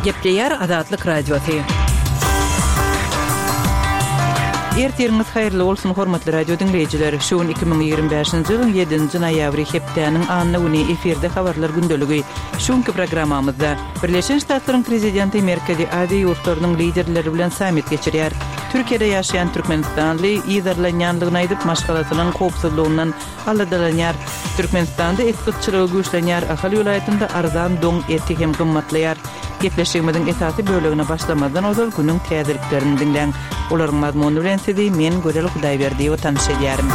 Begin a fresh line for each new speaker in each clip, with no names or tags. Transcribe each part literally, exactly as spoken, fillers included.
Gepleýär Azatlyk Radiosy. Ertiriňiz haýyrly bolsun, hormatly radio diňleýjiler! Şu gün iki müň ýigrimi bäşinji ýylyň ýedinji noýabry, hepdäniň anna güni efirde Habarlar gündeligi. Şu günki programmamyzda, Birleşen Ştatlaryň Prezidenti Merkezi Aziýa ýurtlarynyň liderleri bilen sammit geçirýär. Türkiýede ýaşaýan türkmenistanly yzarlanýanlygyny aýdyp, maşgalasynyň howpsuzlygyndan aladalanýar. Türkmenistanda et gytçylygy güýçlenýär, Ahal welaýatynda arzan doň eti hem gymmatlaýar. Gepleşigimiziň esasy bölegine başlamazdan ozal günüň täzeliklerini diňläň. Olaryň mazmuny bilen sizi men Gözel Hudaýberdiýewa tanyş edýärin.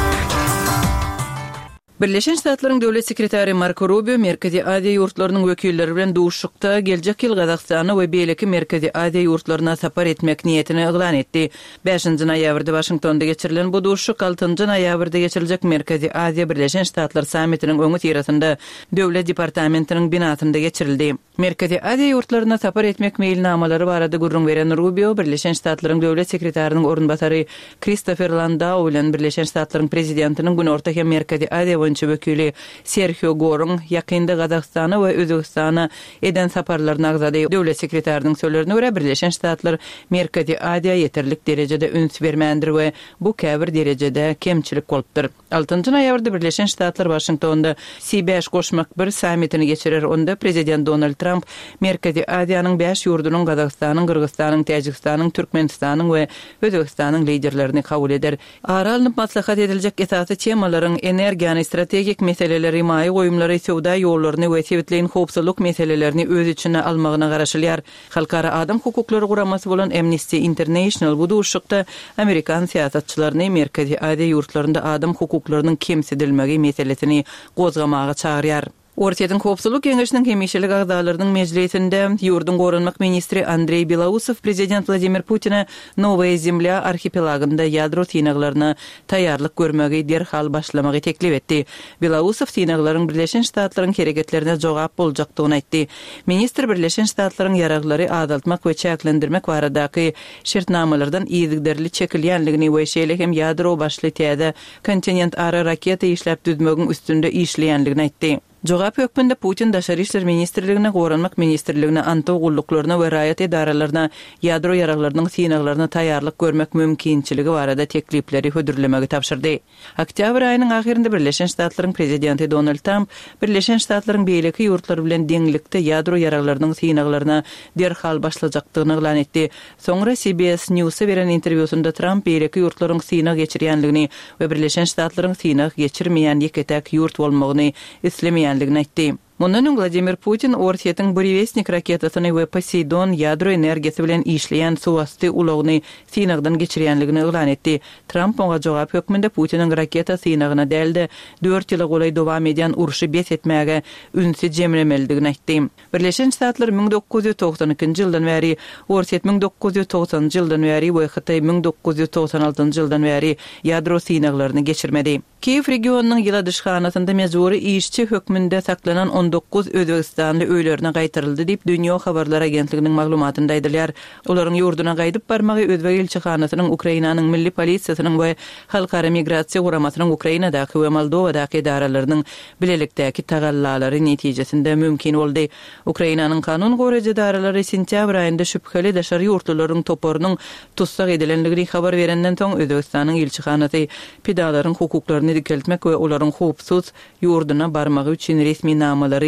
Birleşen Ştatlaryň Döwlet sekretary Marko Rubio Merkezi Aziýa ýurtlarynyň wekilleri bilen duşuşykda geljek ýyl Gazagystana we beýleki Merkezi Aziýa ýurtlaryna sapar etmek niýetini yglan etdi. Bäşinji noýabrda Waşingtonda geçirilen bu duşuşyk altynjy noýabrda geçiriljek Merkezi Aziýa-Birleşen Ştatlar sammitiniň öňüsyrasynda Döwlet departamentiniň binasynda geçirildi. Merkezi Aziýa ýurtlaryna sapar etmek meýilnamalary barada gürrüň beren Rubio Birleşen Ştatlaryň Döwlet sekretarynyň orunbasary Kristofer Landau bilen Birleşen Ştatlaryň Prezidentiniň Günorta hem Merkezi Aziýa boýunça wekili Serhio Goruň ýakynda Gazagystana we Özbegistana eden saparlaryny agzady. Döwlet sekretarynyň sözlerine görä, Birleşen Ştatlar Merkezi Aziýa ýeterlik derejede üns bermändir we bu käbir derejede kemçilik bolupdyr. Altynjy noýabrda Birleşen Ştatlar Waşingtonda C bäş goşmak bir sammitini geçirer, onda prezident Donald Tramp Merkezi Aziýanyň bäş ýurdunyň Gazagystanyň, Gyrgyzystanyň, Täjigistanyň, Türkmenistanyň we Özbegistanyň liderlerini kabul eder. Ara alnyp maslahat ediljek esasy temalaryň energiýany, strategik meseleleri, maýa goýumlary, söwda ýollaryny we sebitleýin howpsuzlyk meselelerini öz içine almagyna garaşylýar. Halkara adam hukuklary guramasy bolan Amnesty International bu duşuşykda amerikan syýasatçylaryny Merkezi Aziýa ýurtlarynda adam hukuklarynyň kemsidilmegi meselesini gozgamaga çagyrýar. Orsýetiň Howpsuzlyk geňeşiniň hemişelik agzalarynyň mejlisinde ýurduň goranmak ministri Andreý Belousow prezident Wladimir Putine Nowaýa Zemlýa arhipelagynda ýadro synaglaryna taýýarlyk görmegi derhal başlamagy teklip etdi. Belousow synaglaryň Birleşen Ştatlaryň hereketlerine jogap boljakdygyny aýtdy. Ministr Birleşen Ştatlaryň ýaraglary azaltmak we çäklendirmek baradaky şertnamalardan yzygiderli çekilýänligini we şeýle hem ýadro başly täze kontinentara raketa işläp düzmegiň üstünde işleýänligini aýtdy. Jogap hökmünde Putin Daşary işler ministrligine, Goranmak ministrligine, antow gulluklaryna we raýat edaralaryna ýadro ýaraglarynyň synaglaryna taýýarlyk görmek mümkinçiligi barada teklipleri hödürlemegi tabşyrdy. Oktýabr aýynyň ahyrynda Birleşen Ştatlaryň Prezidenti Donald Tramp Birleşen Ştatlaryň beýleki ýurtlar bilen deňlikde ýadro ýaraglarynyň synaglaryna derhal başlajakdygyny yglan etdi. Soňra C B S News-a beren interwýusynda Tramp beýleki ýurtlaryň synag geçirýänligini we Birleşen Ştatlaryň synag geçirmeýän ýeke-täk ýurt bolmagyny islemeýänligini aýtdy. Mundan öň Wladimir Putin Orsýetiň Burewestnik raketasyny we Poseýdon ýadro energiýasy bilen işleýän suwasty ulagyny synagdan geçirýänligini yglan etdi. Tramp oňa jogap hökmünde Putiniň raketa synagyna däl-de, dört ýyla golaý dowam edýän urşy bes etmäge ünsi jemlemelidigini aýtdy. Birleşen Ştatlar müň dokuz ýüz togsan ikinji ýyldan bäri, Orsýet müň dokuz ýüz togsanynjy ýyldan bäri we Hytaý müň dokuz ýüz togsan altynjy ýyldan bäri ýadro synaglaryny geçirmedi. Kiýew regionynyň ýyladyşhanasynda mejbury işçi hökmünde saklanan on dokuz özbegistanly öýlerine gaýtaryldy diýip, Dunyo habarlar agentliginiň maglumatynda aýdylýar. Olaryň ýurduna gaýdyp barmagy özbek ilçihanasynyň, Ukrainanyň milli polisiýasynyň we Halkara migrasiýa guramasynyň Ukrainadaky we Moldowadaky edaralarynyň bilelikdäki tagallalary netijesinde mümkin boldy. Ukrainanyň kanun goraýjy edaralary sentýabr aýynda şübheli daşary ýurtlularyň toparynyň tussag edilenligini habar berenden soň Özbegistanyň ilçihanasy pidalaryň hukuklaryny dikeltmek we olaryň howpsuz ýurduna barmagy üçin resminamalary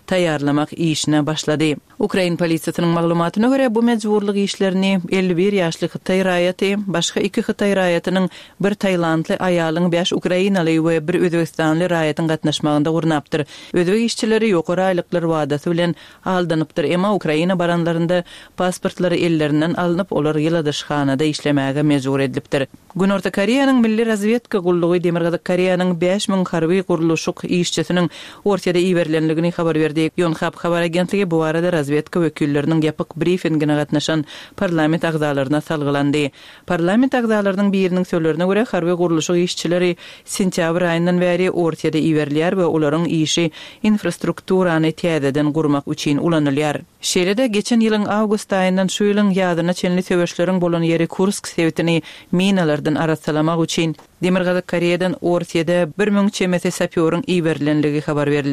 taýýarlamak işine başlady. Ukrain polisiýasynyň maglumatyna görä, bu mejburlyk işlerini elli bir ýaşly hytaý raýaty, başga iki hytaý raýatynyň, bir tailandly aýalyň, bäş ukrainaly we bir özbegistanly raýatyň gatnaşmagynda gurnapdyr. Özbek işçileri ýokary aýlyklar wadasy bilen aldanypdyr, emma Ukraina baranlarynda pasportlary ellerinden alnyp, olar ýyladyşhanada işlemäge mejbur edilipdir. Günorta Koreýanyň Milli razwedka gullugy Demirgazyk Koreýanyň bäş müň harby gurluşyk işçisiniň Orsýede iberilenligini habar berdi. Yonhap habar agentligi bu barada razwedka wekilleriniň ýapyk brifingine gatnaşan parlament agzalaryna salgylandy. Parlament agzalarynyň biriniň sözlerine görä, harby gurluşyk işçileri sentýabr aýyndan bäri Orsýede iberilýär we olaryň işi infrastrukturany täzeden gurmak üçin ulanylýar. Şeýle-de, geçen ýylyň awgust aýyndan şu ýylyň ýazyna çenli söweşleriň bolan ýeri Kursk sebitini minalardan arassalamak üçin Demirgazyk Koreýadan Orsýede bir müň çemesi sapýoryň iberilenligi habar berildi.